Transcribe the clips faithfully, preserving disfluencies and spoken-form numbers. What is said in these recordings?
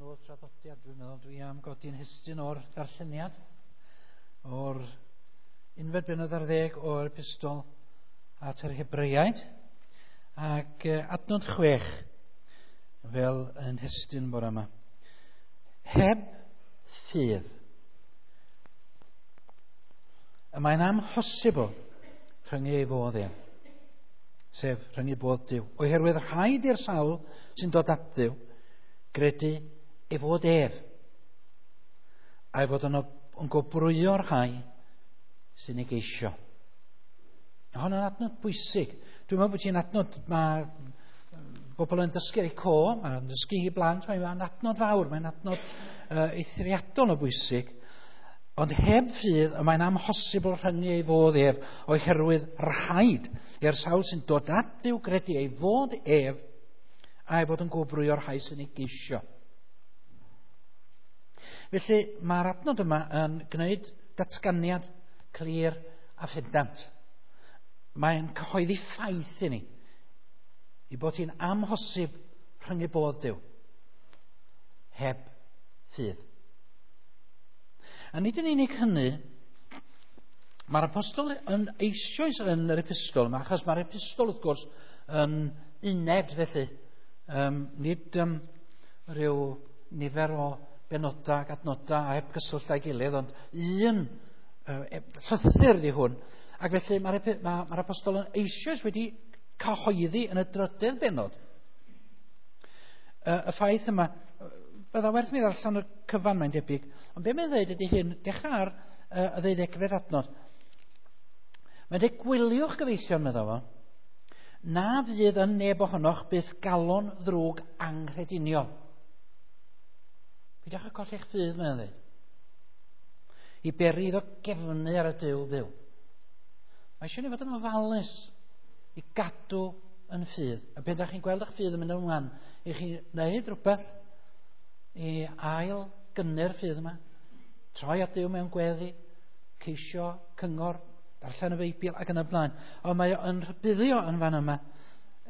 Yn ôl traddodiad, dwi'n meddwl dwi am godi'n hestyn o'r darlleniad o'r unfed bennod ar ddeg o'r epistol at yr Hebreaid ac adnod chwech fel yn hestyn bore yma. Heb ffydd. Y mae'n amhosibl rhyngu ei fodd ef, sef rhyngu bodd Duw. Oherwydd rhaid i'r sawl sy'n dod at Dduw gredu ei fod ef, a'i fod yn, yn gwobrwyo'r rhai sy'n ei geisio. Hon yn adnod bwysig. Dwi'n meddwl bod hi'n adnod, mae bobl yn dysgu ar eu co, mae'n dysgu i blant, mae'n adnod fawr, mae'n adnod uh, eithriadol o bwysig. Ond heb ffydd, y mae'n amhosibl rhyngu ei fod ef, oherwydd rhaid i'r sawl sy'n dod at Dduw gredu ei fod ef, a'i fod yn gwobrwyo'r rhai sy'n ei geisio. Felly mae'r adnod yma yn gwneud datganiad clir a phendant. Mae'n cyhoeddi ffaith i ni i bod hi'n amhosib rhyngu bodd Duw heb ffydd. A nid yn unig hynny, mae'r apostol yn eisoes yn yr epistol yma, achos mae'r epistol wrth gwrs yn uned felly. Um, nid um, rhyw nifer o benodau ac adnodau a heb gyswllt â'i gilydd, ond un uh, llythyr ydi hwn. Ac felly mae'r ma, ma apostol yn eisoes wedi cyhoeddi yn y drydedd bennod uh, y ffaith yma. Bydda werth mi ddarllen y cyfan, mae'n debyg, ond be mae'n dweud ydy hyn, dechrau ar uh, y ddeuddegfed adnod. Mae'n dweud, gwyliwch gyfeillion, meddwl fo, na fydd yn neb ohonoch byth galon ddrwg anghrediniol. Peidiwch â colli'ch ffydd, mae'n dweud. I beri iddo gefnu ar y Duw byw. Mae eisiau ni fod yn ofalus i gadw yn ffydd. A pan ydych chi'n gweld eich ffydd yn mynd ymlaen, i chi wneud rhywbeth i ail gynnu'r ffydd yma. Troi at Duw mewn gweddi, ceisio cyngor, darllen y Beibl ac yn y blaen. Ond mae o'n rhybuddio yn fan yma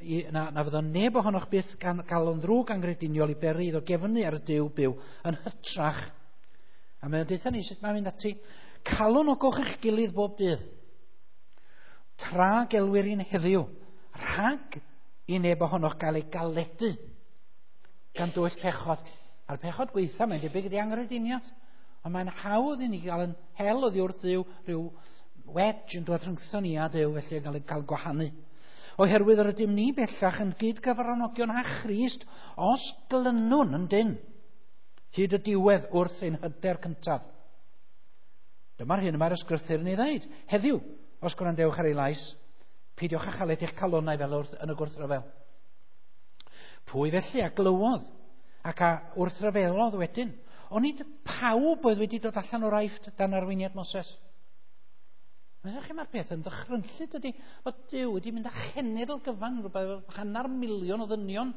i, na, na fyddo neb ohonoch byth gan galon ddrwg anghrediniol i beri iddo gefnu ar y Duw byw yn hytrach. A mae'n deutha ni sut mae'n mynd ati. Calonogwch eich gilydd bob dydd, tra gelwir hi'n heddiw, rhag i neb ohonoch gael ei galedu gan dwyll pechod. A'r pechod gweitha, mae'n debyg ydi anghrediniaeth. Ond mae'n hawdd i ni gael yn hel oddi wrth Dduw, rhyw wedge yn dod rhyngtho ni a Duw, felly yn cael ei cael gwahanu. Oherwydd yr ydym ni bellach yn gyd-gyfranogion â Christ os glynwn yn dyn hyd y diwedd wrth ein hyder cyntaf. Dyma'r hyn y mae'r ysgrythur yn ei ddeud. Heddiw, os gwrandewch ar ei lais, peidiwch â chaled eich calonnau fel wrth, yn y gwrthryfel. Pwy felly a glywodd ac a wrthryfelodd wedyn? Onid pawb oedd wedi dod allan o'r Aifft dan arweiniad Moses? Meddwch chi, mae'r peth yn ddychrynllyd ydy, fod Duw wedi mynd â chenedl gyfan, rhywbeth hanner miliwn o ddynion,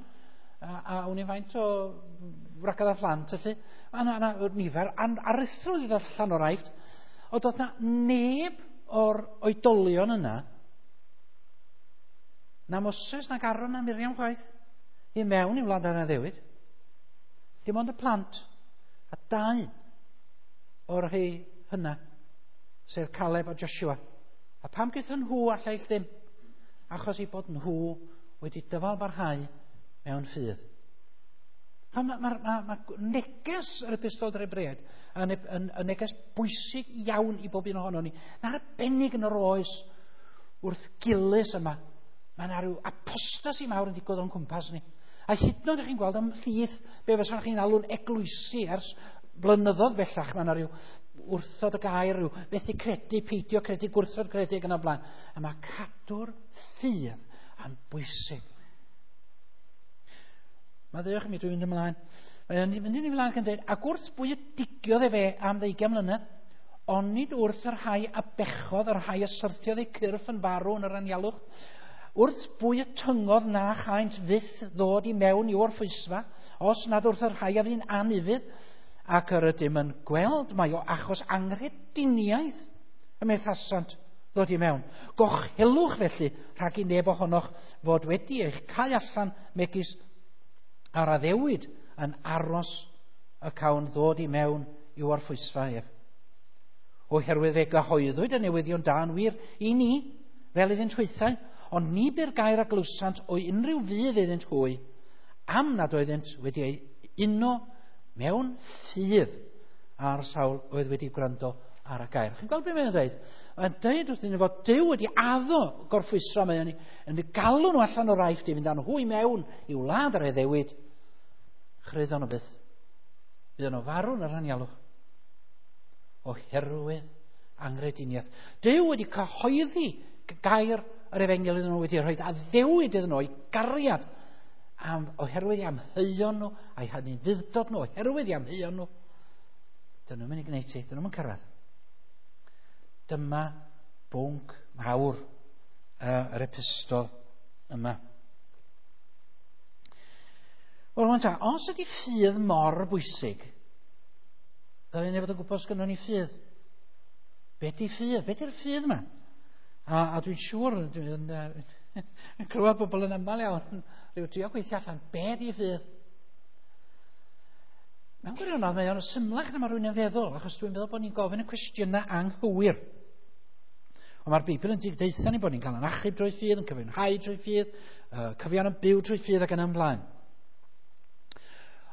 a, a wn i faint o wragedd a phlant, felly. A na, na, nifer aruthrol wedi dod allan o'r Aifft. Ond doedd na neb o'r oedolion yna, na Moses, na Aaron, na Miriam chwaith, i mewn i wlad yr addewid. Dim ond y plant, a dau o'r rhai hynna, sef Caleb a Joshua. A pam gaethon nhw a lleill ddim? Achos eu bod nhw wedi dyfal barhau mewn ffydd. Mae ma, ma, ma neges yr epistol i'r Hebreaid yn, yn, yn neges bwysig iawn i bob un ohono ni. Na'n arbennig yn yr oes wrth gilys yma. Mae yna rhyw apostasi mawr yn digwydd o'n cwmpas ni. A hyd yn oed chi'n gweld ymhlith be fysa chi'n alw'n eglwysi ers blynyddoedd bellach, mae yna rhyw wrthod y gair, rhyw methu credu, peidio credu, gwrthod credu ac yn y blaen. A mae cadw'r ffydd yn bwysig. Mae ddewch i mi, dwi'n mynd ymlaen. Mae'n mynd yn ei flaen ac yn dweud, ac wrth bwy y digiodd efe am ddeugain mlynedd, onid wrth y rhai a bechodd, y rhai a syrthiodd eu cyrff yn farw yn yr anialwch, wrth bwy y tyngodd na chaent fyth ddod i mewn i'w orffwysfa, os nad wrth y rhai a fu'n anufudd, ac yr ydym yn gweld mai o achos anghrediniaeth y methasant ddod i mewn. Gochelwch felly rhag i neb ohonoch fod wedi eich cau allan megis ar addewid yn aros y cawn ddod i mewn i'w orffwysfa ef. Oherwydd fe gyhoeddwyd y newyddion da yn wir i ni, fel iddynt hwythau, ond ni bu'r gair a glywsant o unrhyw fudd iddynt hwy, am nad oeddynt wedi ei uno mewn ffydd a'r sawl oedd wedi gwrando ar y gair. Chi'n gweld beth mae'n dweud? Mae'n dweud wrthyn nhw fod Duw wedi addo gorffwysra, mae'n yn galw nhw allan o'r Aifft i fynd â nhw i mewn i'w wlad ar addewid. Chryddon nhw byth. Byddon nhw farw yn yr anialwch. Oherwydd anghrediniaeth. Duw wedi cyhoeddi gair yr efengyl iddyn nhw, wedi rhoi addewid iddyn nhw i gariad am, oherwydd i amheuon nhw a'i hanufudd-dod nhw, oherwydd i amheuon nhw. Dyn nhw'n mynd i gwneud ti, dyn nhw'n mynd cyrraedd. Dyma bwnc mawr uh, yr epistol yma. Wel, rwan ta, os ydy ffydd mor bwysig, ddylen ni fod yn gwybod os gynnon ni ffydd. Be di ffydd? Be di'r ffydd yma? A, a dwi'n siŵr, dwi'n uh, yn clywed bobl yn aml iawn, rhyw trio gweithio allan, be di ffydd? Mewn gwirionedd, mae o'n symlach na mae rhywun yn feddwl, achos dwi'n meddwl bod ni'n gofyn y cwestiynau anghywir. Ond mae'r Beibl yn deutha ni bod ni'n cael yn achub drwy ffydd, yn cyfiawnhau drwy ffydd, uh, cyfiawn yn byw drwy ffydd ac yn ymlaen.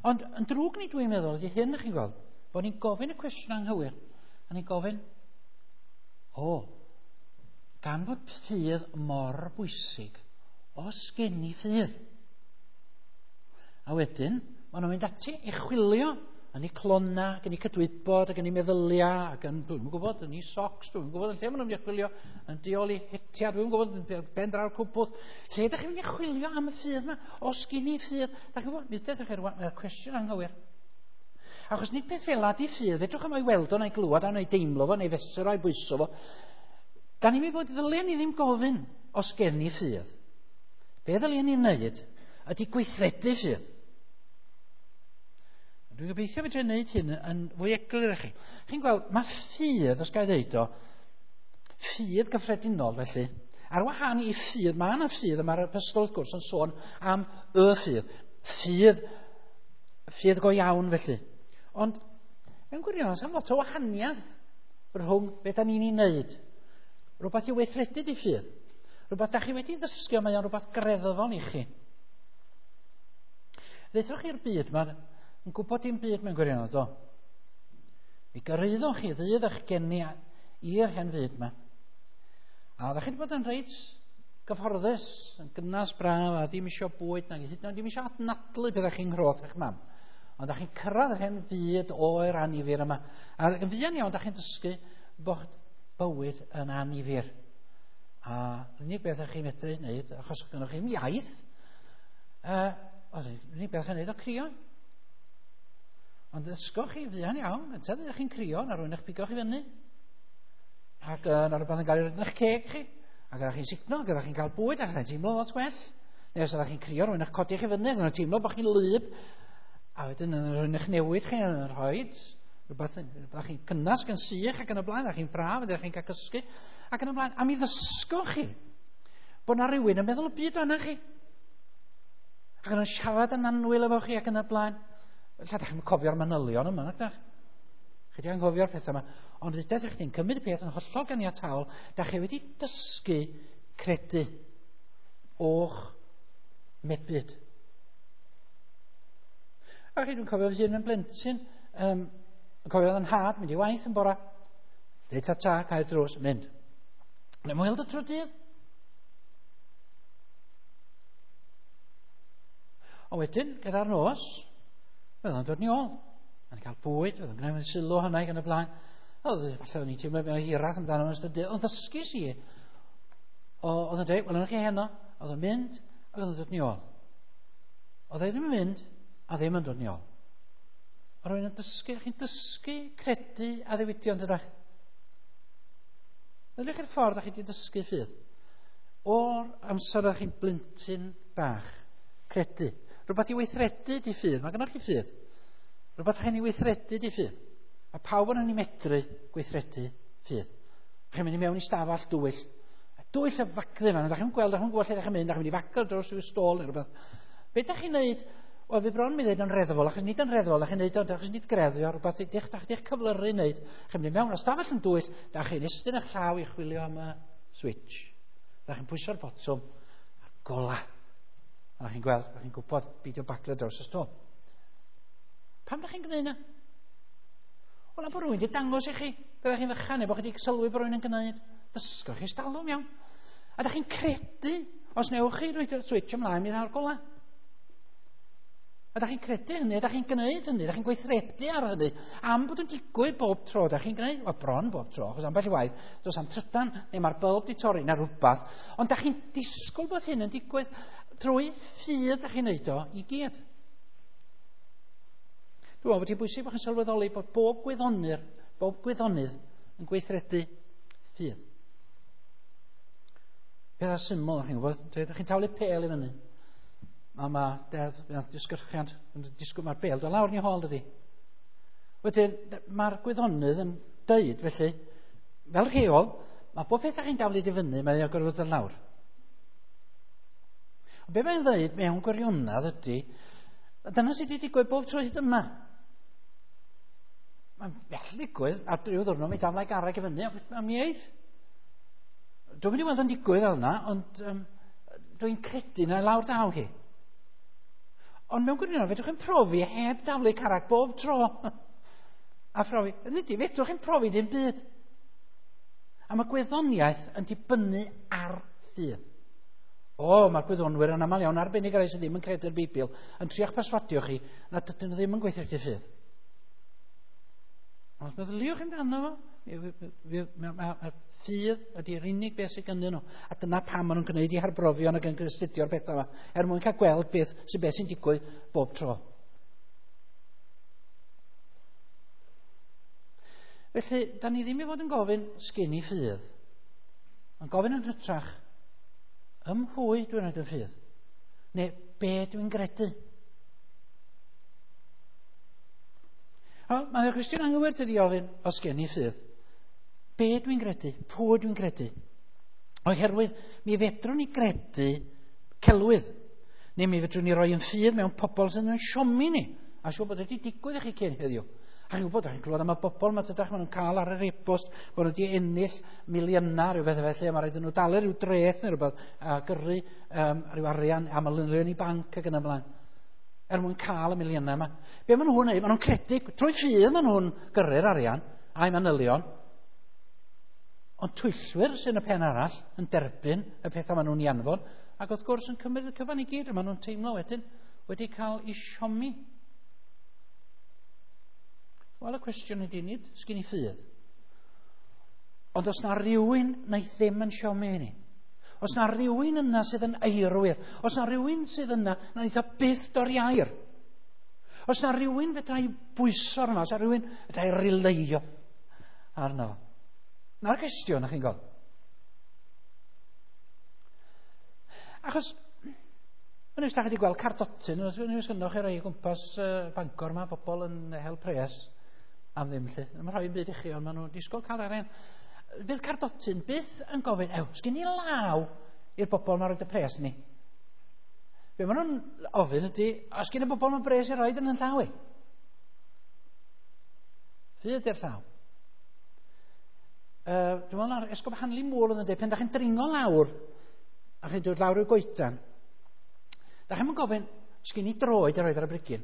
Ond yn drwg ni dwi'n meddwl ydy hyn, chi'n gweld, bod ni'n gofyn y cwestiwn anghywir, a ni'n gofyn, o, gan fod ffydd mor bwysig, os gen i ffydd? A wedyn, maen nhw'n mynd ati i chwilio yn eu clona, ac yn eu cydwybod, ac yn eu meddyliau, ac yn, dwi'n gwybod, yn eu socks, dwi'n gwybod, yn lle maen nhw'n mynd i chwilio, yn diol i hetia, dwi'n gwybod, yn ben draw'r cwpwrdd. Lle ydych chi'n mynd i chwilio am y ffydd yma? Os gen i ffydd? Da chi'n gwybod, mi ydych chi'n mae'r cwestiwn anghywir. Achos nid peth fel di ffydd, fedrwch am o'i weld o, na'i glywed o, na'i deimlo fo, na'i fesur o, na'i bwyso fo. Da ni'n mynd bod, ddylen ni ddim gofyn os gen i ffydd. Be ddylen ni wneud ydy gweithredu ffydd. Dwi'n gobeithio fedra i wneud hyn yn fwy eglur i chi. Chi'n gweld, mae ffydd, os gael ddeud o, ffydd gyffredinol felly, ar wahân i ffydd, mae yna ffydd, a mae'r epistol wrth gwrs yn sôn am y ffydd. Ffydd, ffydd go iawn felly. Ond, mewn gwirionedd, sa'm lot o wahaniaeth rhwng beth da ni'n ei wneud. Rhywbeth i weithredu di ffydd. Rhywbeth da chi wedi ddysgu, mae o'n rhywbeth greddfol i chi. Ddaethoch chi'r byd yma, yn gwybod dim byd mewn gwirionedd, do. Mi gyrraeddoch chi ddydd eich geni i'r hen fyd yma. A ddech chi wedi bod yn reit gyfforddus, yn gynnas braf, a ddim isio bwyd, nag hyd yn oed ddim isio adnadlu beth chi'n nghroth eich mam. Ond ddech chi'n cyrraedd yr hen fyd oer annifyr yma. A yn fuan iawn, ddech chi'n dysgu bod bywyd yn annifyr. A unig beth ydych chi'n medru wneud, achos gynnoch chi'm iaith, uh, unig beth chi'n wneud o crio. Ond ddysgoch chi fuan iawn, gyntaf ydych chi'n crio, na rhywun eich pigo chi fyny. Ac uh, na rhywbeth yn cael ei roid yn eich ceg chi. Ac ydych chi'n sugno, ac ydych chi'n cael bwyd, ac ydych chi'n teimlo lot gwell. Neu os ydych chi'n crio, rhywun eich codi chi fyny, ac ydych chi'n teimlo bod chi'n lyb. A wedyn rhywun eich newid chi, yn rhoi rhywbeth, ydych chi'n cynnas ac yn sych ac yn y blaen, ydych chi'n braf, ydych chi'n cael cysgu, ac yn y blaen. A mi ddysgoch chi bod na rhywun yn meddwl y byd o'na chi. Ac yn siarad yn annwyl efo chi ac yn y blaen. Ella ydych chi'n cofio'r manylion yma, nac dach? Chi wedi anghofio'r pethau yma. Ond ydych chi'n cymryd y peth yn hollol ganiataol, da chi wedi dysgu credu o'ch mebyd. A chi, dwi'n cofio fy hun yn blentyn, um, yn cofio yn nhad, mynd i waith yn bora, deud ta ta, cael drws, mynd. Neu mwyn y trwy dydd. A wedyn, gyda'r nos, fydda'n yn dod ni ôl. Yn cael bwyd, fydda'n gwneud yn sylw hynny gan y blaen. Oedd, falle o'n i'n teimlo mewn hiraeth amdano yn ystod dydd. Ond ddysgu si, oedd yn dweud, wel, yna chi heno, oedd yn mynd, ac oedd yn dod ni ôl. Oedd e ddim yn mynd, a ddim yn dod ni ôl. Mae rhywun yn dysgu, chi'n dysgu credu addewidion, dydach? Ydych chi'r ffordd â chi wedi dysgu ffydd? O'r amser ydych chi'n blentyn bach, credu. Rhywbeth i weithredu di ffydd. Mae gennych chi ffydd. Rhywbeth chi'n ei weithredu di ffydd. A pawb yn ei medru gweithredu ffydd. Chi'n mynd i mewn i stafell dwyll. Dwyll y faglu yma. Ydych chi'n gweld, ydych chi'n gweld lle ydych chi'n mynd, ydych chi'n mynd i fagl dros rhyw stôl neu rhywbeth. Be ydych chi'n neud Wel, fi bron mi ddeud yn reddfol, achos nid yn reddfol, achos nid, achos nid greddfio, rhywbeth ydych, da chi'ch cyflyru wneud. Chi'n mynd mewn ystafell yn dwyll, da chi'n estyn eich llaw i chwilio am y switch. Da chi'n pwyso'r botwm a'r gola. A da chi'n gweld, da chi'n gwybod beidio baglu draws y stôl. Pam da chi'n gwneud yna? Wel, am bod rhywun wedi dangos i chi, byddech chi'n fychan neu bod chi wedi sylwi bod rhywun yn gwneud. Dysgoch chi stalwm iawn. A da chi'n credu, os newch chi roi'r switch ymlaen, mi ddaw'r gola. A da chi'n credu hynny, a da chi'n gwneud hynny, da chi'n gweithredu ar hynny, am bod yn digwydd bob tro da chi'n gwneud, wel bron bob tro, achos ambell i waith, does am trydan, neu mae'r bylb di torri, neu rhywbeth, ond da chi'n disgwyl bod hyn yn digwydd trwy ffydd da chi'n neud o i gyd. Dwi'n meddwl bod hi'n bwysig bod chi'n sylweddoli bod bob gwyddonyr, bob gwyddonydd yn gweithredu ffydd. Pethau syml, chi'n gwybod, da chi'n taflu pêl i fyny. A mae deddf, disgyrchiant, disgwyl, mae'r bêl dod lawr yn ei hôl, dydy. Wedyn, mae'r gwyddonydd yn deud, felly, fel rheol, mae bob peth chi'n daflu i fyny, mae'n gorfod dod lawr. Ond be mae'n ddeud mewn gwirionedd ydy, dyna sydd wedi digwydd bob tro hyd yma. Mae'n bell digwydd, a rhyw ddwrnod mi daflai garreg i fyny, a mi eith. Dwi'n mynd i weld yn digwydd fel yna, ond um, dwi'n credu na lawr daw hi. Ond mewn gwirionedd, fedrwch chi'n profi heb daflu carreg bob tro. A phrofi, nid i, fedrwch chi'n profi dim byd. A mae gwyddoniaeth yn dibynnu ar ffydd. O, mae'r gwyddonwyr yn aml iawn arbennig ar rai sydd ddim yn credu'r Beibl yn trio'ch perswadio chi nad ydyn nhw ddim yn gweithredu ffydd. Ond os meddyliwch amdano fo, mae'r ffydd ydy'r unig beth sydd ganddyn nhw. A dyna pam maen nhw'n gwneud i harbrofion ac yn astudio'r pethau yma, er mwyn cael gweld beth sy'n beth sy'n digwydd bob tro. Felly, da ni ddim i fod yn gofyn sgyn i ffydd. Ond gofyn yn hytrach, ym mhwy dwi'n rhaid yn ffydd? Neu be dwi'n gredu? Mae'n cwestiwn anghywir tydi ofyn, os gen i ffydd. Be dwi'n gredu? Pwy dwi'n gredu? Oherwydd, mi fedrwn ni gredu celwydd. Neu mi fedrwn ni roi yn ffydd mewn pobl sydd yn siomi ni. A siŵr bod wedi digwydd i chi cyn heddiw. A chi'n gwybod, chi'n clywed am y bobl mae dydach, maen nhw'n cael ar yr e-bost bod nhw wedi ennill miliynau rhyw beth felly, a mae rhaid nhw dalu rhyw dreth neu rhywbeth, a gyrru um, rhyw arian am y lynlion i banc ac yn y blaen, er mwyn cael y miliynau yma. Be maen nhw'n neud? Maen nhw'n credu, trwy ffydd maen nhw'n gyrru'r arian a'i manylion, ond twyllwyr sy'n y pen arall yn derbyn y pethau maen nhw'n ei anfon, ac wrth gwrs yn cymryd y cyfan i gyd, a maen nhw'n teimlo wedyn wedi cael eu siomi. Wel, y cwestiwn ydy nid, sgyn i ffydd. Ond os na rhywun wnaeth ddim yn siomi i ni, os na rhywun yna sydd yn eirwyr, os na rhywun sydd yna na wnaeth o byth dorri air, os na rhywun fedra i bwyso arno, os na rhywun fedra i rileio arno. Na'r cwestiwn, chi'n gweld. Achos, yn ystod chi wedi gweld cardotyn, yn ystod chi rei o gwmpas uh, Bangor yma, bobl yn hel pres am ddim lle. Mae'n rhoi yn byd i chi, ond maen nhw'n disgwyl cael arian. Fydd cardotyn byth yn gofyn, ew, sgyn i law i'r bobl ma'n rhoid y pres ni? Be maen nhw'n ofyn ydy, os gyn y bobl ma'n bres i roed yn yn llaw i? Ffydd ydy'r llaw. Uh, dwi'n meddwl na'r Esgob Hanley Moore oedd yn dweud, pen da chi'n dringo lawr, a chi'n dod lawr i'r goedan, da chi'n gofyn, sgyn i droed i roed ar y brigyn?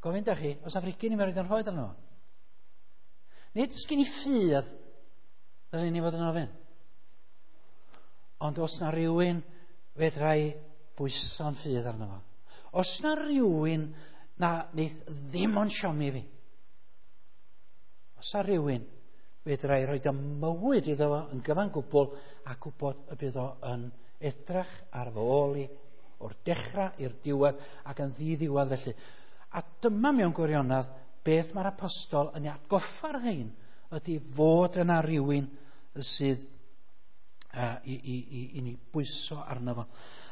Gofyn da chi, os na frigyn i mi roed yn rhoed arno? Nid sgyn i ffydd, ddylen ni fod yn ofyn. Ond os na rhywun fedra i bwyso'n ffydd arno fo. Os na rhywun na wneith ddim ond siomi fi. Os na rhywun fedra i roed y mywyd iddo fo yn gyfan gwbl a gwybod y bydd o yn edrych ar fy ôl i o'r dechrau i'r diwedd ac yn ddiddiwedd felly. A dyma mewn gwirionedd beth mae'r apostol yn ei atgoffa'r rhain ydy fod yna rhywun sydd uh, i, i, i, i ni bwyso arno fo.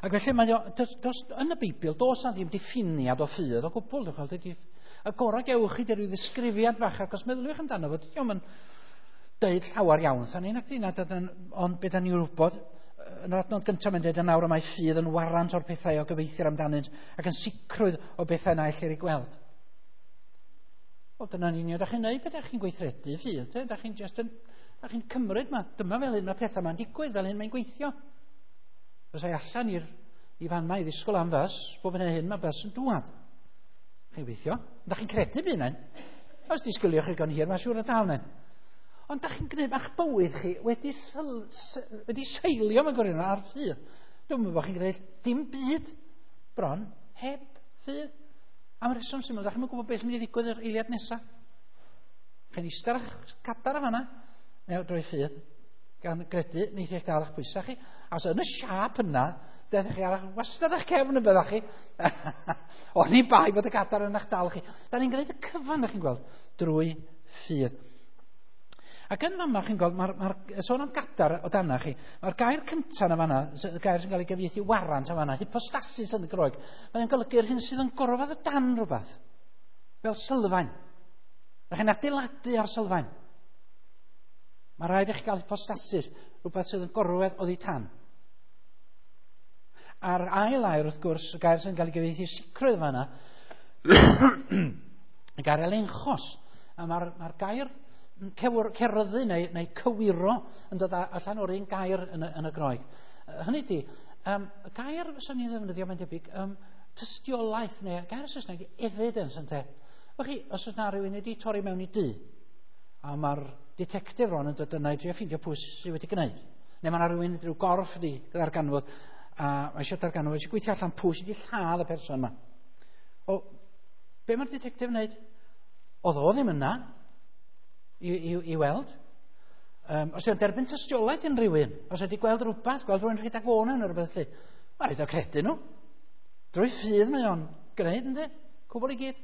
Ac felly mae o, dos, dos, yn y Beibl does na ddim diffiniad o ffydd o gwbl. Dydy, y gorau gewch chi 'di ryw ddisgrifiad fach, ac os meddyliwch amdano fo, dydy o'm yn deud llawer iawn, tha ni, nac di, nad, ond beth da ni'n wybod Yn yr adnod gyntaf mae'n dweud yn awr y mae ffydd yn warant o'r pethau o gobeithio amdanynt ac yn sicrwydd o bethau na ellir eu gweld. Wel, dyna'n union da chi'n neud beth da chi'n gweithredu ffydd. Te? Da chi'n just yn, da chi'n cymryd ma, dyma fel hyn mae pethau ma'n digwydd, fel hyn mae'n gweithio. Fysai allan i'r i fan ma i ddisgwyl am fys, bob yn hyn mae bys yn dŵad. Chi'n gweithio? Da chi'n credu bydd yna'n? Os disgwyliwch chi gan hir, mae'n siŵr o daw yna'n. Ond da chi'n gwneud, ma'ch bywyd chi wedi, syl, wedi seilio mewn gwirionedd ar ffydd. Dwi'n meddwl bod chi'n gwneud dim byd bron heb ffydd. Am reswm syml, da chi'n gwybod beth sy'n mynd i ddigwydd yr eiliad nesaf. Chi'n eistedd ar eich cadar y fanna, neu drwy ffydd, gan gredu, neith eich dal eich pwysau chi. A os yn y siâp yna, dethech chi ar eich wastad eich cefn yn byddach chi. O'n i bai bod y gadar yn eich dal chi. Da ni'n gwneud y cyfan, da chi'n gweld, drwy ffydd. Ac yn fama, chi'n gweld, mae'r ma sôn am gadar o dana chi, mae'r gair cyntaf yn fanna, y gair sy'n cael ei gyfieithu warant yn fanna, hypostasis yn y Groeg, mae'n golygu'r hyn sydd yn gorfod o dan rhywbeth, fel sylfaen. Da chi'n adeiladu ar sylfaen. Mae rhaid i chi gael hypostasis, rhywbeth sydd yn gorwedd oddi tan. A'r ail air, wrth gwrs, y gair sy'n cael ei gyfieithu sicrwydd fanna, y gair elenchos. A mae'r mae gair ceryddu neu, neu cywiro yn dod allan o'r un gair yn y, yn y Groeg. Hynny ydy, um, y gair fyswn ni ddefnyddio mae'n debyg, um, tystiolaeth neu gair Saesneg, evidence, ynte. Wel chi, os oes na rhywun wedi torri mewn i dŷ, a mae'r detective rwan yn dod yna i drio ffeindio pwy sydd wedi gwneud. Neu mae yna rhywun rhyw gorff wedi ddarganfod, a mae eisiau darganfod, eisiau gweithio allan pwy sydd wedi lladd y person yma. O, be mae'r detective yn wneud? Oedd o ddim yna i, i, i weld. Um, os yw'n derbyn tystiolaeth yn rhywun, os ydy gweld rhywbeth, gweld rhywun rhedeg o'n yn rhywbeth lle, mae'n rhaid o credu nhw. Drwy ffydd mae o'n gwneud, ynddi? Cwbl i gyd.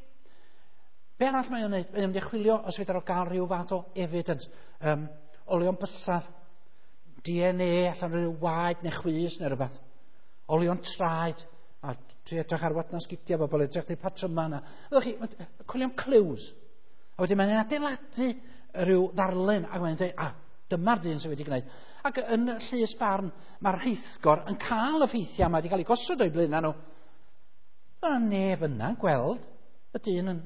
Be arall mae o'n wneud? Mae o'n mynd i chwilio os fedar o gael rhyw fath o evidence. Um, olion bysedd, D N A, allan rhyw waed neu chwys neu rhywbeth. Olion traed, a tri edrych ar wadna sgidiau bobl, edrych di patryma yna. Ydych chi, chwilio am clues. A wedyn mae'n adeiladu rhyw ddarlun, ac mae'n dweud, a, dyma'r dyn sydd wedi gwneud. Ac yn llys barn, mae'r rheithgor yn cael y ffeithiau yma wedi cael ei gosod o'i blaenau nhw. Dyna neb yna'n gweld y dyn yn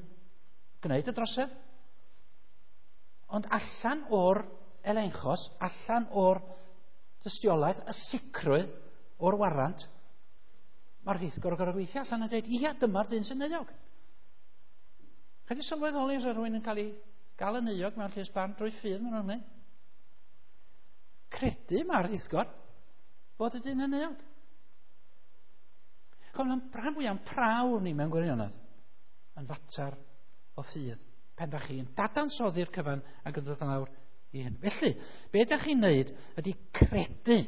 gwneud y drosedd. Ond allan o'r elenchos, allan o'r tystiolaeth, y sicrwydd o'r warant, mae'r rheithgor yn gorfod gweithio allan a dweud, ia, dyma'r dyn sy'n euog. Chi wedi sylweddoli os rhywun yn cael ei gael yn euog mewn llys barn drwy ffydd maen nhw'n gwneud? Credu mae'r rheithgor fod y dyn yn euog. Chom, mae'n rhan fwyaf o'n prawf ni mewn gwirionedd yn fater o ffydd. Pen da chi'n dadansoddi'r cyfan ac yn dod lawr i hyn. Felly, be da chi'n neud ydy credu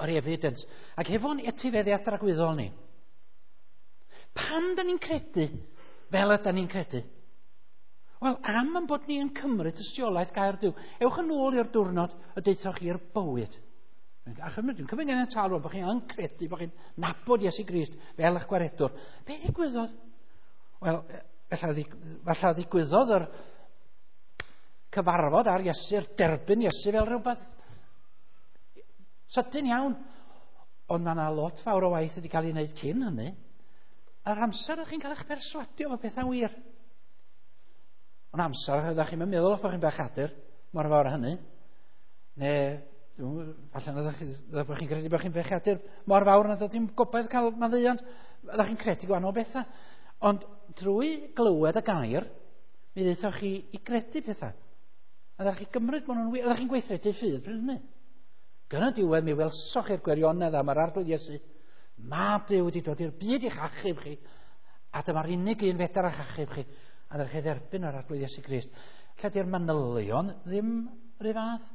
yr evidence. Ac hefo'n etifeddiaeth dragwyddol ni, pam da ni'n credu fel yda ni'n credu? Wel, am yn bod ni yn cymryd tystiolaeth gair Duw. Ewch yn ôl i'r diwrnod y deuthoch chi'r bywyd. A chymryd, dwi'n cymryd gen y tal rwan bod chi'n credu, bod chi'n nabod Iesu Grist fel eich gwaredwr. Be ddigwyddodd? Wel, falle ddigwyddodd yr cyfarfod ar Iesu'r derbyn Iesu fel rhywbeth sydyn iawn. Ond mae yna lot fawr o waith wedi cael ei wneud cyn hynny. A'r amser ydych chi'n cael eich perswadio fod pethau'n wir. Ond amser ydych chi'n meddwl bod chi'n bechadur mor fawr â hynny. Neu falle ydych chi, bod chi'n credu bod chi'n bechadur mor fawr nad ydych chi'n gobaith cael maddeuant. Ydych chi'n credu gwahanol bethau. Ond drwy glywed y gair, mi ddaethoch chi i gredu pethau. A ydych chi gymryd bod nhw'n wir. Ydych chi'n gweithredu ffydd pryd hynny. Gyda diwedd mi welsoch chi'r gwirionedd am yr Arglwydd Iesu. Mab Duw wedi dod i'r byd i'ch achub chi, a dyma'r unig un fedar a'ch achub chi. A ddech chi dderbyn yr Arglwydd Iesu Grist. Lle di'r manylion ddim rhyw fath.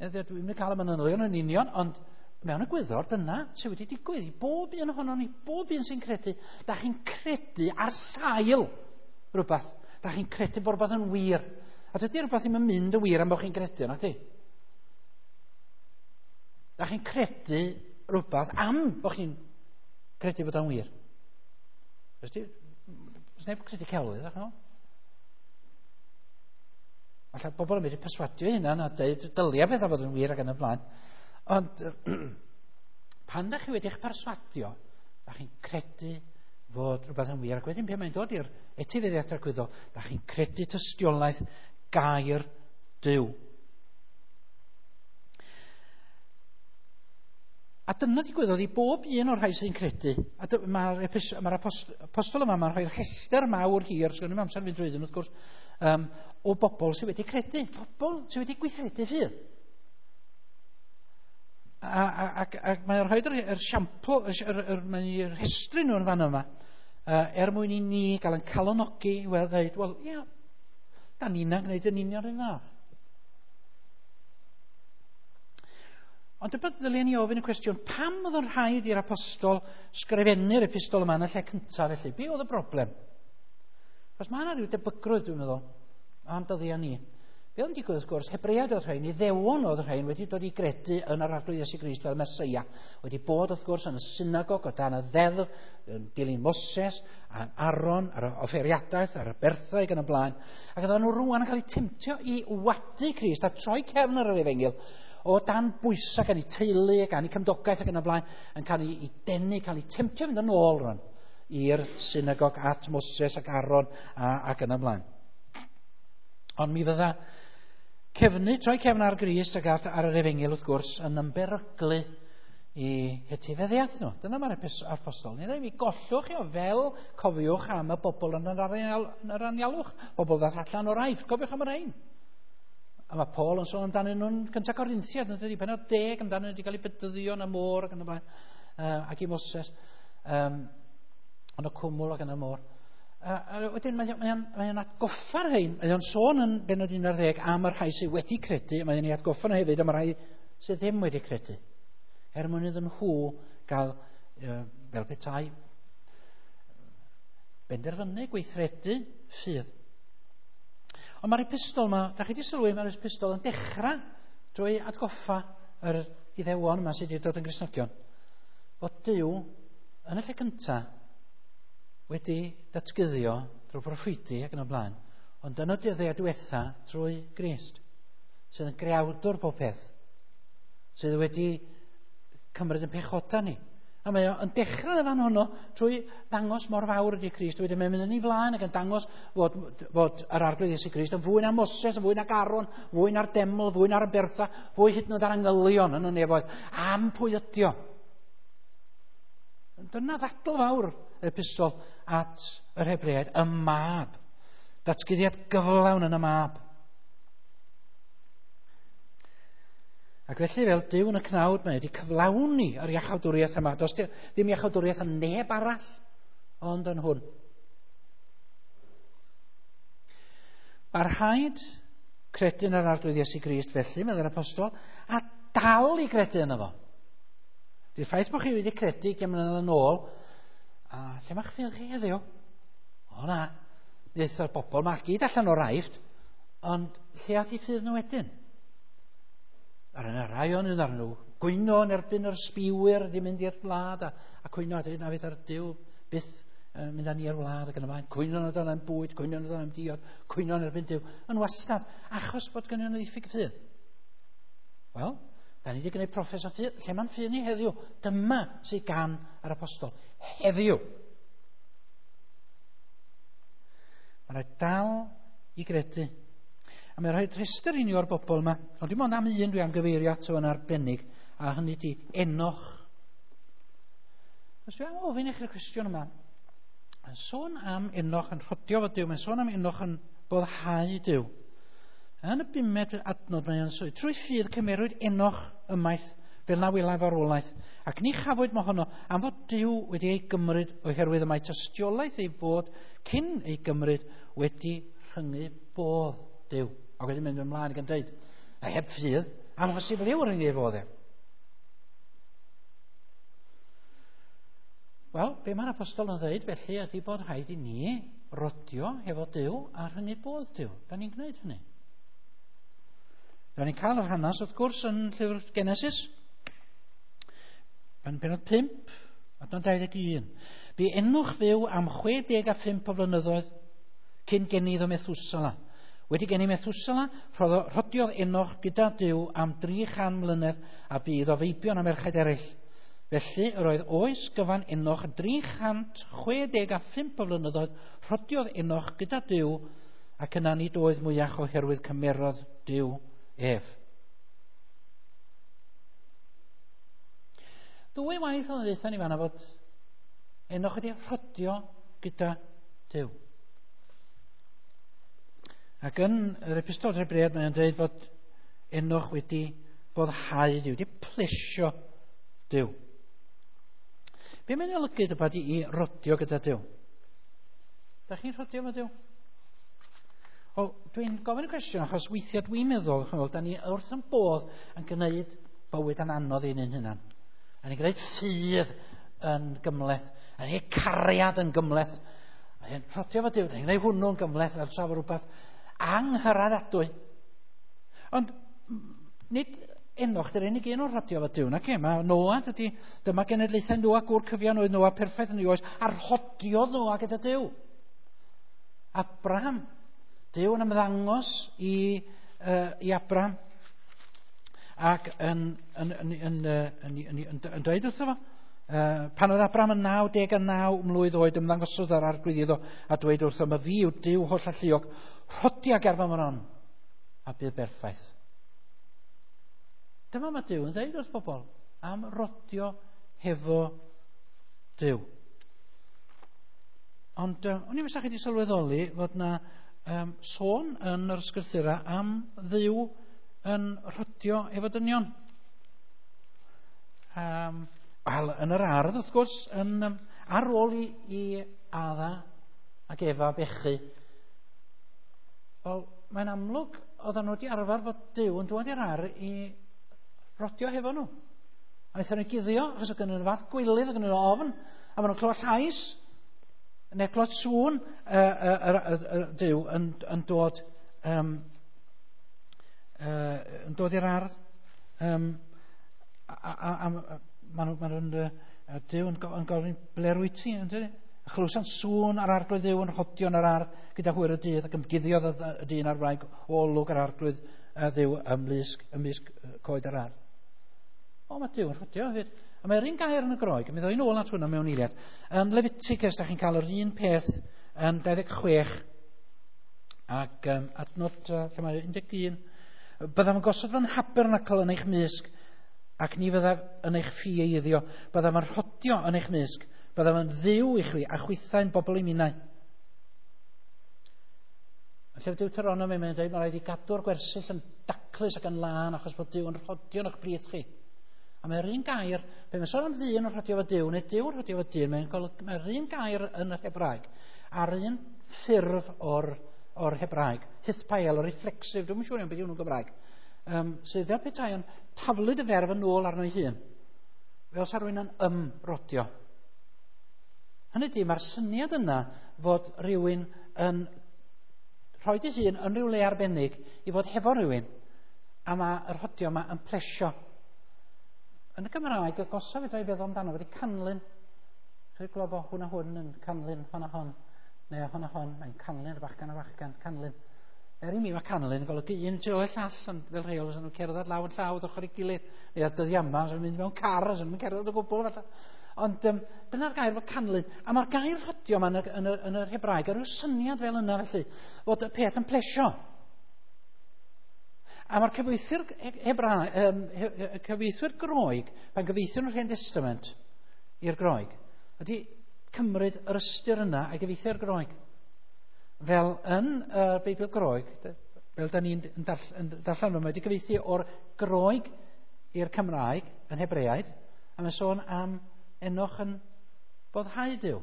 Dwi'n mynd i cael y manylion yn union, ond mewn egwyddor dyna sydd wedi digwydd i bob un ohonon ni, bob un sy'n credu. Da chi'n credu ar sail rhywbeth. Da chi'n credu bod rhywbeth yn wir. A dydy rhywbeth ddim yn mynd yn wir am bod chi'n credu, nag di? Da chi'n credu rhywbeth am bod chi'n credu bod o'n wir. Oes neb yn credu celwydd, ach no? Falle bobl yn mynd i perswadio hynna a dweud dylia beth a fod yn wir ac yn y blaen. Ond pan da chi wedi eich perswadio, da chi'n credu fod rhywbeth yn wir, ac wedyn pan mae'n dod i'r etifeddiaeth tragwyddol, da chi'n credu tystiolaeth gair Duw. A dyna ddigwyddodd i bob un o'r rhai sy'n credu. A mae'r mae'r apostol yma, mae'n rhoi'r rhestr mawr hir, sgwn i'm amser fynd drwyddyn wrth gwrs, um, o bobl sydd wedi credu, pobl sydd wedi gweithredu ffydd. A, a, ac, ac mae'n rhoi'r yr siampl, yr, yr, yr, mae'n rhestru nhw yn fan yma, uh, er mwyn i ni gael yn calonogi i weld dweud, wel, ia, da ni'n gwneud yn union yr un fath. Ond dyma ddylen ni ofyn y cwestiwn, pam oedd yn rhaid i'r apostol sgrifennu'r epistol yma yn y lle cyntaf felly? Be oedd y broblem? Os mae yna rhyw debygrwydd, dwi'n meddwl, am dyddiau ni. Be oedd yn digwydd, wrth gwrs, Hebreaid oedd rhain, Iddewon oedd rhain wedi dod i gredu yn yr Arglwydd Iesu Grist fel Meseia. Wedi bod, wrth gwrs, yn y synagog o dan y ddeddf, yn dilyn Moses, a Aaron, ar y offeiriadaeth, ar y berthau ac yn y blaen. Ac oedden nhw rŵan yn cael eu temtio i wadu Crist a troi cefn ar yr efengyl o dan bwysau gan eu teulu, gan eu cymdogaeth ac yn y blaen, yn cael ei denu, cael eu temtio fynd yn ôl rwan i'r synagog at Moses ac Aaron a, ac yn y blaen. Ond mi fydda cefnu, troi cefn ar Grist ac ar, ar yr efengyl wrth gwrs yn ymberyglu i etifeddiaeth nhw. Dyna mae'r apostol. Ni ddweud, mi gollwch chi o fel cofiwch am y bobl yn yr, anial, yn yr anialwch, bobl ddath allan o'r Aifft, cofiwch am yr ein. A mae Paul yn sôn amdanyn nhw'n cyntaf Corinthiad, yn dydi, pennod deg amdanyn nhw wedi cael eu bedyddio yn y môr ac yn y blaen, uh, ac i Moses, um, yn y cwmwl ac yn y môr. Uh, a wedyn mae'n mae mae atgoffa'r rhain, mae o'n sôn yn bennod un ar ddeg am y rhai sydd wedi credu, mae'n ei atgoffa nhw hefyd am y rhai sydd ddim wedi credu. Er mwyn iddyn nhw gael, uh, fel petai, benderfynu, gweithredu ffydd. Ond mae'r epistol yma, da chi wedi sylwi, mae'r epistol yn dechrau drwy atgoffa yr Iddewon yma sydd wedi dod yn Gristnogion, fod Duw yn y lle cyntaf wedi datguddio drwy proffwydi ac yn y blaen, ond yn y dyddiau diwetha drwy Grist, sydd yn greawdwr pob peth, sydd wedi cymryd yn pechoda ni. A mae o'n dechrau yn y fan honno trwy ddangos mor fawr ydy Crist. Wedyn mae'n mynd yn ei flaen ac yn dangos fod, fod yr Arglwydd Iesu Grist yn fwy na Moses, yn fwy na Aaron, fwy na'r deml, fwy na'r abertha, fwy hyd yn oed ar angylion yn y nefoedd. Am pwy ydi o? Dyna ddadl fawr yr epistol at yr Hebreaid, y mab. Datguddiad gyflawn yn y mab. Ac felly fel Duw yn y cnawd, mae wedi cyflawni yr iachawdwriaeth yma. Does ddim iachawdwriaeth yn neb arall, ond yn hwn. Mae'r rhaid credu yn yr Arglwydd Iesu Grist felly, meddai'r apostol, a dal i gredu yno fo. Di'r ffaith bod chi wedi credu ugain mlynedd yn ôl, a lle mae'ch ffydd chi heddiw? O na, mi ddaeth o'r bobl yma gyd allan o'r Aifft, ond lle ath eu ffydd nhw wedyn? Ar yna rai o'n nhw, nhw gwyno yn erbyn yr sbiwyr wedi mynd i'r wlad a, a cwyno a dweud na fydd ar Duw byth yn mynd â ni i'r wlad ac yn y blaen. Cwyno yn am bwyd, cwyno yn am diod, cwyno yn erbyn Duw. Yn wastad, achos bod gennyn nhw ddiffyg ffydd. Wel, da ni wedi gwneud proffes o ffydd. Lle mae'n ffydd ni heddiw? Dyma sydd gan yr apostol. Heddiw. Mae'n rhaid dal i gredu. A mae'n rhaid rhestr i ni o'r bobl yma, ond dim ond am un dwi am gyfeirio ato yn arbennig, a hynny di Enoch. Os dwi am ofyn i chi'r cwestiwn yma, mae'n sôn am Enoch yn rhodio fo Duw, mae'n sôn am Enoch yn boddhau Duw. Yn y bumed adnod mae'n sôn, trwy ffydd cymerwyd Enoch ymaith fel na wela farwolaeth, ac ni chafwyd mohono am fod Duw wedi ei gymryd oherwydd y mae tystiolaeth ei fod cyn ei gymryd wedi rhyngu bodd Duw. Ac wedyn mynd ymlaen ac yn dweud, a heb ffydd, amhosibl yw rhyngu ei fodd e. Wel, be mae'r apostol yn dweud felly ydy bod rhaid i ni rodio hefo Duw a rhyngu bodd Duw. Da ni'n gwneud hynny. Da ni'n cael yr hanes wrth gwrs yn llyfr Genesis, yn pennod pump, adnod dau ddeg un. Bu Enoch fyw am chwe deg a phump o flynyddoedd cyn geni iddo Methusala. Wedi geni Methusela, rhodiodd Enoch gyda Duw am dri chan mlynedd a bu iddo feibion a merched eraill. Felly, yr oedd oes gyfan Enoch dri chant chwe deg a phump o flynyddoedd, rhodiodd Enoch gyda Duw, ac yna nid oedd mwyach oherwydd cymerodd Duw ef. Ddwy waith oedd yn ddeutha ni fanna fod Enoch wedi rhodio gyda Duw. Ac yn yr epistol i'r Hebreaid mae'n dweud fod Enoch wedi boddhau Duw, wedi plesio Duw. Be mae'n olygu dybad i rodio gyda Duw? Da chi'n rhodio efo Duw? Wel, dwi'n gofyn y cwestiwn achos weithiau dwi'n meddwl, chymod, da ni wrth yn bodd yn gwneud bywyd yn anodd i'n hunan. A ni'n gwneud ffydd yn gymhleth, a ni'n cariad yn gymhleth. A ni'n rhodio efo Duw, da ni'n gwneud hwnnw'n gymhleth fel tra fod rhywbeth anghyraeddadwy. Ond nid Enoch dy'r unig un o'r rhodio efo Duw, nac e? Mae Noa, dydy, dyma genedlaethau Noa, gŵr cyfiawn oedd Noa, perffaith yn ei oes, a rhodiodd Noa gyda Duw. Abraham, Duw yn ymddangos i, uh, i Abraham ac yn, yn, yn, yn, yn, yn, yn, yn dweud wrtho fo, uh, pan oedd Abraham yn naw deg a naw mlwydd oed, ymddangosodd yr arglwydd iddo a dweud wrtho, ma fi yw Duw holl alluog, rhodia ger fy mron a bydd berffaith. Dyma mae Duw yn dweud wrth bobl am rodio hefo Duw. Ond uh, o'n i'n meddwl chi wedi sylweddoli fod na um, sôn yn yr ysgrythura am Dduw yn rhodio efo dynion. Um, Wel, yn yr ardd, wrth gwrs, yn, um, ar ôl i, i Adda ac Efa bechu, wel, mae'n amlwg oedden nhw wedi arfer fod Duw yn dod i'r ardd i rodio hefo nhw. A aethon nhw guddio, achos oedd gennyn nhw fath gwilydd, oedd gennyn nhw ofn, a maen nhw'n clywed llais, neu clywed sŵn uh, uh, uh, uh, Duw yn, yn dod um, uh, yn dod i'r ardd. Um, a, a, a, a maen nhw, maen nhw'n, uh, Duw yn, yn gofyn, ble rwyt ti? A chlywsant sŵn ar arglwydd Dduw yn rhodio yn yr ardd gyda hwyr y dydd, ac ymguddiodd y dyn a'r wraig o olwg ar arglwydd Dduw ymlusg, ymysg coed yr ardd. O, mae Duw yn rhodio hefyd. A mae'r un gair yn y Groeg, mi ddoi nôl at hwnna mewn eiliad. Yn Leviticus, da chi'n cael yr un peth yn dau ddeg chwech ac um, adnod, uh, lle mae un deg un. Byddaf yn gosod fy nhabernacl yn eich mysg, ac ni fyddaf yn eich ffieiddio. Byddaf yn rhodio yn eich mysg, byddaf yn dduw i chwi, a chwithau'n bobl i minnau. Yn llyfr Deuteronomi, mae'n dweud, mae rhaid i gadw'r gwersyll yn daclus ac yn lân, achos bod Duw yn rhodio yn eich brith chi. A mae'r un gair, pe mae'n sôn am ddyn yn rhodio efo Duw, neu Duw yn rhodio efo dyn, mae'n golygu, mae'r un gair yn yr Hebraeg, a'r un ffurf o'r, o'r Hebraeg, hithpael, o reflexive, dwi'm yn siŵr iawn beth yw hwnnw'n Gymraeg, um, sydd fel petai yn taflud y ferf yn ôl arno ei hun, fel sa rhywun yn ymrodio. Hynny ydy, mae'r syniad yna fod rhywun yn rhoi ei hun yn rhyw le arbennig i fod hefo rhywun, a mae'r rhodio yma yn plesio. Yn y Gymraeg, y gosaf fedra i feddwl amdano wedi canlyn. Chi'n gweld bod hwn a hwn yn canlyn, hon a hon, neu hon a hon, mae'n canlyn, bachgan a bachgan, canlyn. Er i mi mae canlyn yn golygu un tu ôl i'r llall, ond fel rheol, os nhw'n cerdded law yn llaw, ochr ei gilydd, neu ar dyddiau yma, os nhw'n mynd mewn car, os nhw'n cerdded o gwbl, falle. Ond um, dyna'r gair fod canlyn. A mae'r gair rhodio yma yn, y, yn, y, yn yr Hebraeg, a rhyw syniad fel yna felly, fod y peth yn plesio. A mae'r cyfieithwyr Hebra, um, cyfieithwyr Groeg, pan gyfieithio'n yr Hen Testament i'r Groeg, ydy cymryd yr ystyr yna a'i gyfieithu i'r Groeg. Fel yn y uh, Beibl Groeg, fel da ni'n darllen, mae wedi gyfieithu o'r Groeg i'r Cymraeg yn Hebreaid, a mae'n sôn am Enoch yn boddhau Duw.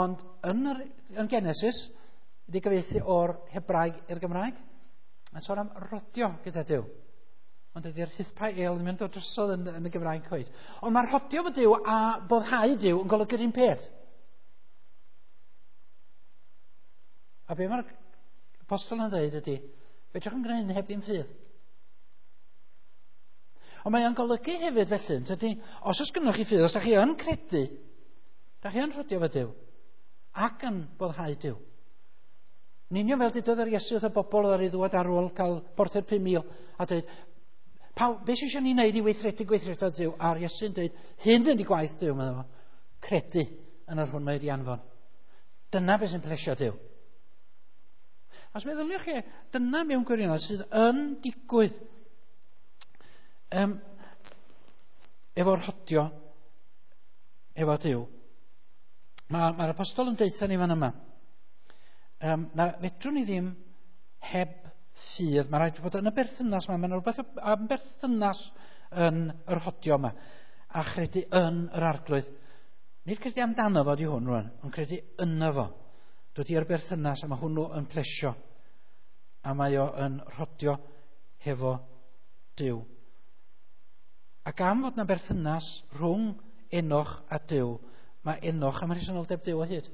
Ond yn, yr, yn Genesis, wedi gyfieithu o'r Hebraeg i'r Gymraeg. Mae'n sôn am rodio gyda Duw. Ond ydy'r hithpael ddim yn dod drosodd yn, yn y Gymraeg cweit. Ond mae'r rhodio fo Duw a boddhau Duw yn golygu'r un peth. A be mae'r apostol yn dweud ydy, fedrwch yn gwneud heb ddim ffydd. Ond mae o'n golygu hefyd felly, tydi, os oes gynnoch chi ffydd, os da chi yn credu, da chi yn rhodio fo Duw, ac yn boddhau Duw. Yn union fel dydodd yr Iesu wrth y bobl oedd ar ei ddwad ar ôl cael porthu'r pum mil a dweud, paw, beth sy'n eisiau ni wneud i weithredu gweithredoedd Duw? A'r Iesu'n dweud, hyn ydy gwaith Duw, meddwl fo. Credu yn yr hwn mae wedi anfon. Dyna beth sy'n plesio Duw. Os meddyliwch chi, dyna mewn gwirionedd sydd yn digwydd um, efo'r rhodio efo Duw. Mae'r ma apostol yn deutha ni fan yma. Um, na fedrwn ni ddim heb ffydd. Mae rhaid bod yn y berthynas yma. Mae'n rhywbeth am berthynas yn yr rhodio yma. A chredu yn yr arglwydd. Nid credu amdano fo di hwn rwan, ond credu yno fo. Dod i'r berthynas a mae hwnnw yn plesio. A mae o yn rhodio hefo Duw. Ac am fod yna berthynas rhwng Enoch a Duw, mae Enoch am rhesymoldeb Duw o hyd.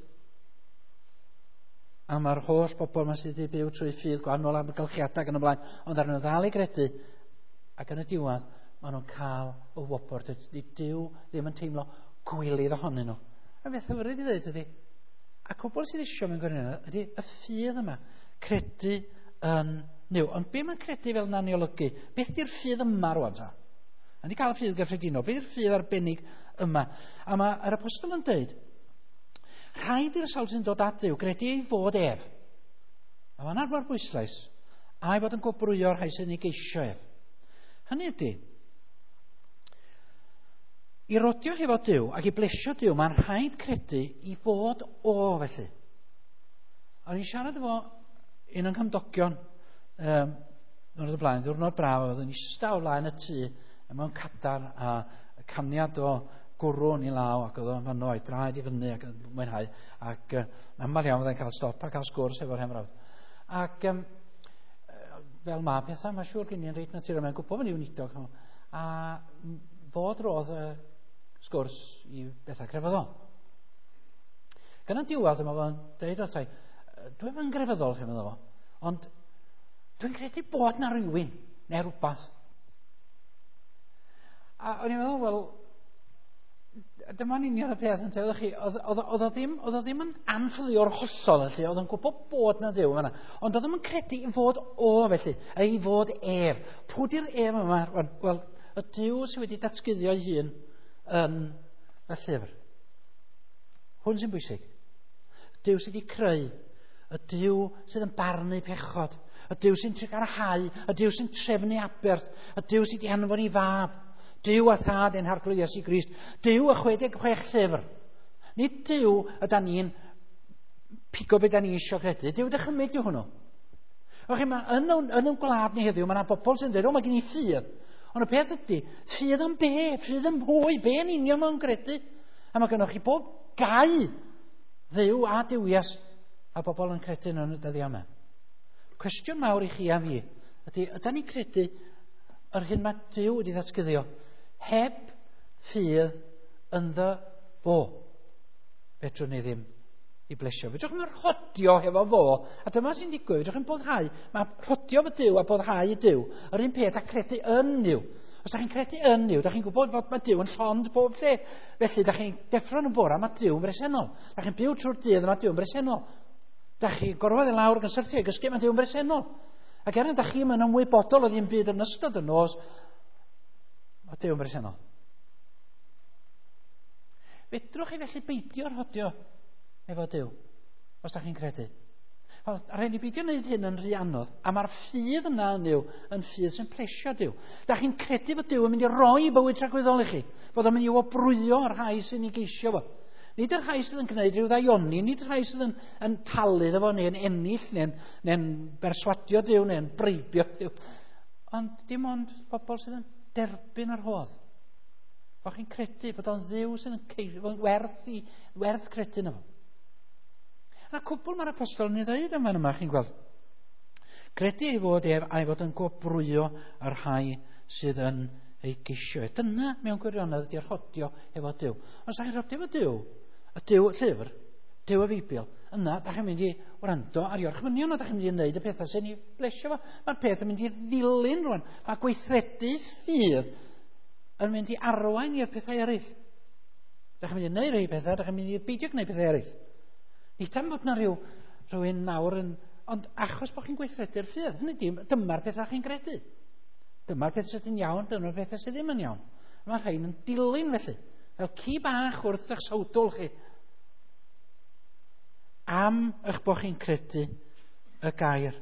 A mae'r holl bobl yma sydd wedi byw trwy ffydd gwahanol amgylchiadau ac yn y blaen, ond ar nhw ddal i gredu, ac yn y diwedd, maen nhw'n cael y wobr. Dydy Duw ddim yn teimlo gwilydd ohonyn nhw. A beth hyfryd i ddweud ydy, a cwbl sydd eisiau mewn gwirionedd ydy y ffydd yma, credu yn Nuw. Ond be mae'n credu fel na'n ei olygu? Beth di'r ffydd yma rwan ta? A ni cael y ffydd gyffredinol, beth di'r ffydd arbennig yma? A mae'r apostol yn dweud, rhaid i'r sawl sy'n dod at Dduw gredu ei fod ef. A mae'n arfer bwyslais, a'i fod yn gwobrwyo'r rhai sy'n ei geisio ef. Hynny ydy, i rodio hefo Duw ac i blesio Duw, mae'n rhaid credu i fod o felly. A o'n i'n siarad efo un o'n cymdogion um, diwrnod y blaen, ddiwrnod braf, oedd yn eistedd o flaen y tŷ mewn cadar a caniad o gwrw yn ei law ac oedd o'n fanno a'i draed i fyny ac yn mwynhau ac uh, aml iawn fyddai'n cael stop a cael sgwrs efo'r hen frawd. Ac um, fel mae pethau, mae'n siŵr gen i'n reit naturiol, mae'n gwybod fan i weinidog. A fod roedd y sgwrs i bethau crefyddol. Gan y diwedd yma fo'n deud wrthai, dwi'n yn grefyddol, chi'n meddwl fo, ond dwi'n credu bod na rhywun neu rhywbeth. A o'n i'n meddwl, wel, dyma'n union y peth yn teud chi, oedd o ddim, oedd o ddim yn anffyddio'r hollol felly, oedd o'n gwybod bod na Dduw yma, ond oedd o'n credu i fod o felly, a i fod ef. Pwy di'r ef yma? Wel, y Duw sydd wedi datguddio ei hun yn y llyfr. Hwn sy'n bwysig. Duw sydd wedi creu, y Duw sydd yn barnu pechod, y Duw sy'n trugarhau, y Duw sy'n trefnu aberth, y Duw sydd wedi anfon i fab, Duw a thad ein harglwydd Iesu Grist, Duw y chwe deg chwech llyfr. Nid Duw ydan ni'n pigo beth da ni eisiau credu, Duw dychymyg yw hwnnw. O chi, ma, yn, yn yn gwlad ni heddiw, mae yna bobl sy'n dweud, o, mae gen i ffydd. Ond y peth ydy, ffydd am be? Ffydd am pwy? Be yn union mae'n credu? A mae gennych chi bob gau Dduw a duwias a bobl yn credu yn y dyddiau yma. Cwestiwn mawr i chi a fi ydy, ydy ni'n credu yr hyn mae Duw wedi ddatguddio heb ffydd ynddo fo? Fedrwn ni ddim i blesio. Fedrwch chi'n rhodio hefo fo, a dyma sy'n digwydd, fedrwch chi'n boddhau. Mae rhodio fo Duw a boddhau i Duw yr un peth a credu yn Duw. Os da chi'n credu yn Duw, da chi'n gwybod fod mae Duw yn llond pob lle. Felly, da chi'n deffro yn y bora, mae Duw yn bresennol. Da chi'n byw trwy'r dydd, mae Duw yn bresennol. Da chi'n gorfod i lawr ac yn syrthio i gysgu, mae Duw yn bresennol. Ac er da chi'n yn ymwybodol o ddim byd yn ystod y nos, mae Duw yn bresennol. Fedrwch chi felly beidio rhodio efo Duw, os da chi'n credu. Wel, rhaid ni beidio wneud hyn yn rhy anodd, a mae'r ffydd yna yn Duw yn ffydd sy'n plesio Duw. Da chi'n credu bod Duw yn mynd i roi bywyd tragwyddol i chi, bod o'n mynd i wobrwyo yr rhai sy'n ei geisio fo. Nid yr rhai sydd yn gwneud rhyw ddaioni, nid y rhai sydd yn, yn talu iddo fo, neu'n ennill, neu'n neu berswadio Duw, neu'n breibio Duw. Ond dim ond bobl sydd yn derbyn yr rhodd. Bo chi'n credu bod o'n Dduw sydd yn ceisio, werth, i, werth credu yno fo. A cwbl mae'r apostol yn ei ddweud yma yma, chi'n gweld. Credu ei fod ef a'i fod yn gwobrwyo yr rhai sydd yn ei geisio. Dyna mewn gwirionedd ydy'r rhodio efo Duw. Os da chi'n rhodio efo Duw, y Duw llyfr, Duw y Beibl, yna da chi'n mynd i wrando ar orchmynion, a da chi'n mynd i wneud y pethau sy'n ei blesio fo. Mae'r peth yn mynd i ddilyn rwan. Mae gweithredu ffydd yn mynd i arwain i'r pethau eraill. Da chi'n mynd i wneud rhai pethau, da chi'n mynd i beidio gwneud pethau eraill. Nid am fod na rhyw, rhywun nawr yn Ond achos bod chi'n gweithredu'r ffydd, hynny ydi, dyma'r pethau chi'n gredu. Dyma'r pethau sydd yn iawn, dyma'r pethau sydd ddim yn iawn. Mae'r rhain yn dilyn felly, fel ci bach wrth eich sawdl chi. Am eich bod chi'n credu y gair.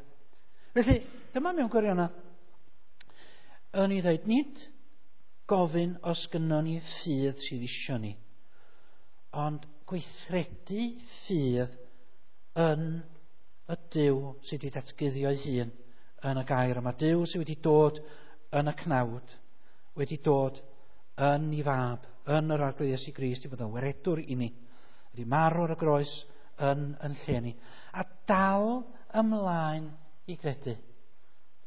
Felly, dyma mewn gwirionedd, yn ei ddweud, nid gofyn os gynnon ni ffydd sydd isio ni, ond gweithredu ffydd yn y Duw sydd wedi datguddio ei hun yn y gair yma. Duw sydd wedi dod yn y cnawd, wedi dod yn ei fab, yn yr Arglwydd Iesu Grist, i fod yn waredwr i ni, wedi marw ar y groes yn, yn lle ni. A dal ymlaen i gredu.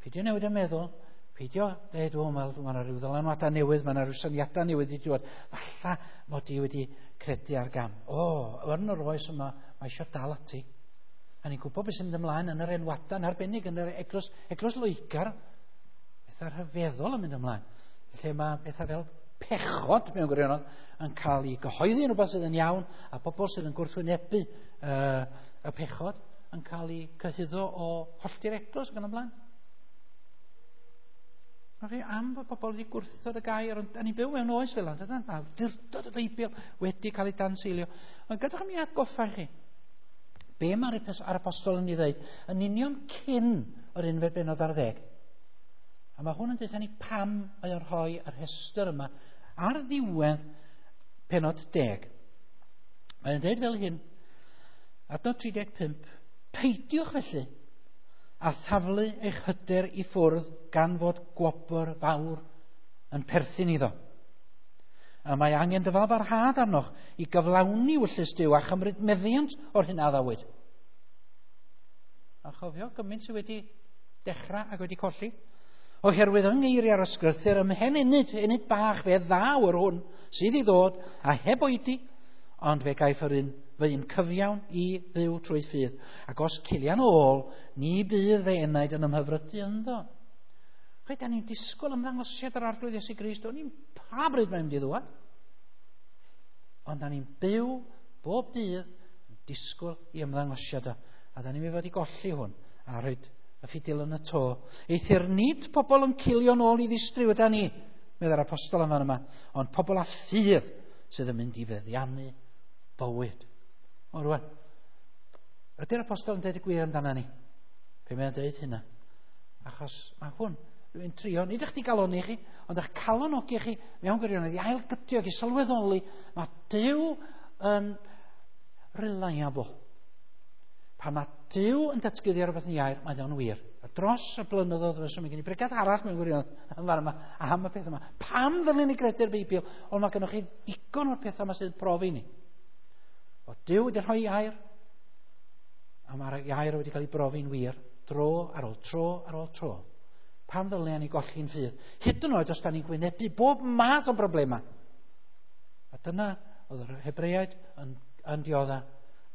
Peidio newid y meddwl, peidio dweud, o, mae yna rhyw ddylanwadau newydd, mae yna rhyw syniadau newydd i dod. Falla mod i wedi credu ar gam. O, yn yr oes yma, mae eisiau dal ati. A ni'n gwybod beth sy'n mynd ymlaen yn yr enwadau, yn arbennig yn yr eglwys, eglwys Loegr, pethau rhyfeddol yn mynd ymlaen. Lle mae pethau fel pechod mewn gwirionedd yn cael ei gyhoeddi yn rhywbeth sydd yn iawn, a pobl sydd yn gwrthwynebu uh, y pechod yn cael ei cyhuddo o hollti'r eglwys ac yn ymlaen. Mae am fod pobl wedi gwrthod y gair, ond da ni'n byw mewn oes fel yna, dydan? Mae awdurdod y Beibl wedi cael ei danseilio. Ond gadwch mi atgoffa chi, be mae'r apostol yn ei ddweud yn union cyn yr unfed bennod ar ddeg. A mae hwn yn dweud ni pam mae o'n rhoi yr rhestr yma ar ddiwedd pennod deg. Mae'n dweud fel hyn, adnod tri deg pump, peidiwch felly a thaflu eich hyder i ffwrdd gan fod gwobr fawr yn perthyn iddo. A mae angen dyfalbarhad arnoch i gyflawni ewyllys Duw a chymryd meddiant o'r hyn a addawyd. A chofio gymaint sydd wedi dechrau ac wedi colli. Oherwydd yng ngeiriau'r ysgrythur ymhen ennyd, ennyd bach fe ddaw yr hwn sydd i ddod a heb oedi, ond fe gaiff yr un fy un cyfiawn i fyw trwy ffydd. Ac os cilian ôl, ni bydd fe enaid yn ymhyfrydu ynddo. Chwe, da ni'n disgwyl ymddangosiad yr Arglwydd Iesu Grist, o'n i'n pa bryd mae'n mynd i ddŵad. Ond da ni'n byw bob dydd yn disgwyl i ymddangosiad o. A da ni'n mynd i fod i golli hwn a rhoi y ffidil yn y to. Eithr nid pobl yn cilio nôl i ddistryw yda ni, meddai'r apostol yn fan yma, ond pobl â ffydd sydd yn mynd i feddiannu bywyd. O rwan, ydy'r apostol yn dweud y gwir amdana ni? Pe mae'n dweud hynna? Achos mae hwn, rwy'n trio, nid eich di galoni chi, ond eich calonogi chi mewn gwirionedd i ailgydio ac i sylweddoli, mae Duw yn reliable. Pan mae Duw yn datguddio rhywbeth yn iair, mae o'n wir. A dros y blynyddoedd fysa, mae gen i bregeth arall mewn gwirionedd yn fan yma, am y peth yma. Pam ddylen ni gredu'r Beibl? Ond mae gennych chi ddigon o'r pethau yma sydd profi ni. O Duw wedi rhoi air, a mae'r air wedi cael ei brofi'n wir, dro ar ôl tro ar ôl tro. Pam ddylen ni golli'n ffydd? Hyd yn oed os da ni'n gwynebu bob math o broblemau. A dyna oedd yr Hebreaid yn, yn diodda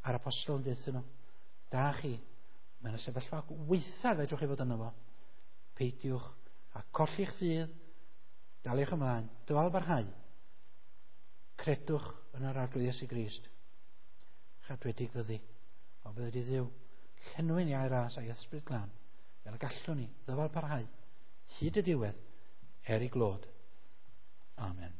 a'r apostol yn deuthyn nhw. Da chi, mae'n y sefyllfa weitha fedrwch chi fod yno fo. Peidiwch a colli'ch ffydd, daliwch ymlaen, dyfal barhau. Credwch yn yr Arglwydd Iesu Grist. Chadwedig fyddi, o byddi Dduw, llenwi'n iau ras a'i ysbryd glân, fel y gallwn ni ddyfal parhau, hyd y diwedd, er ei glod. Amen.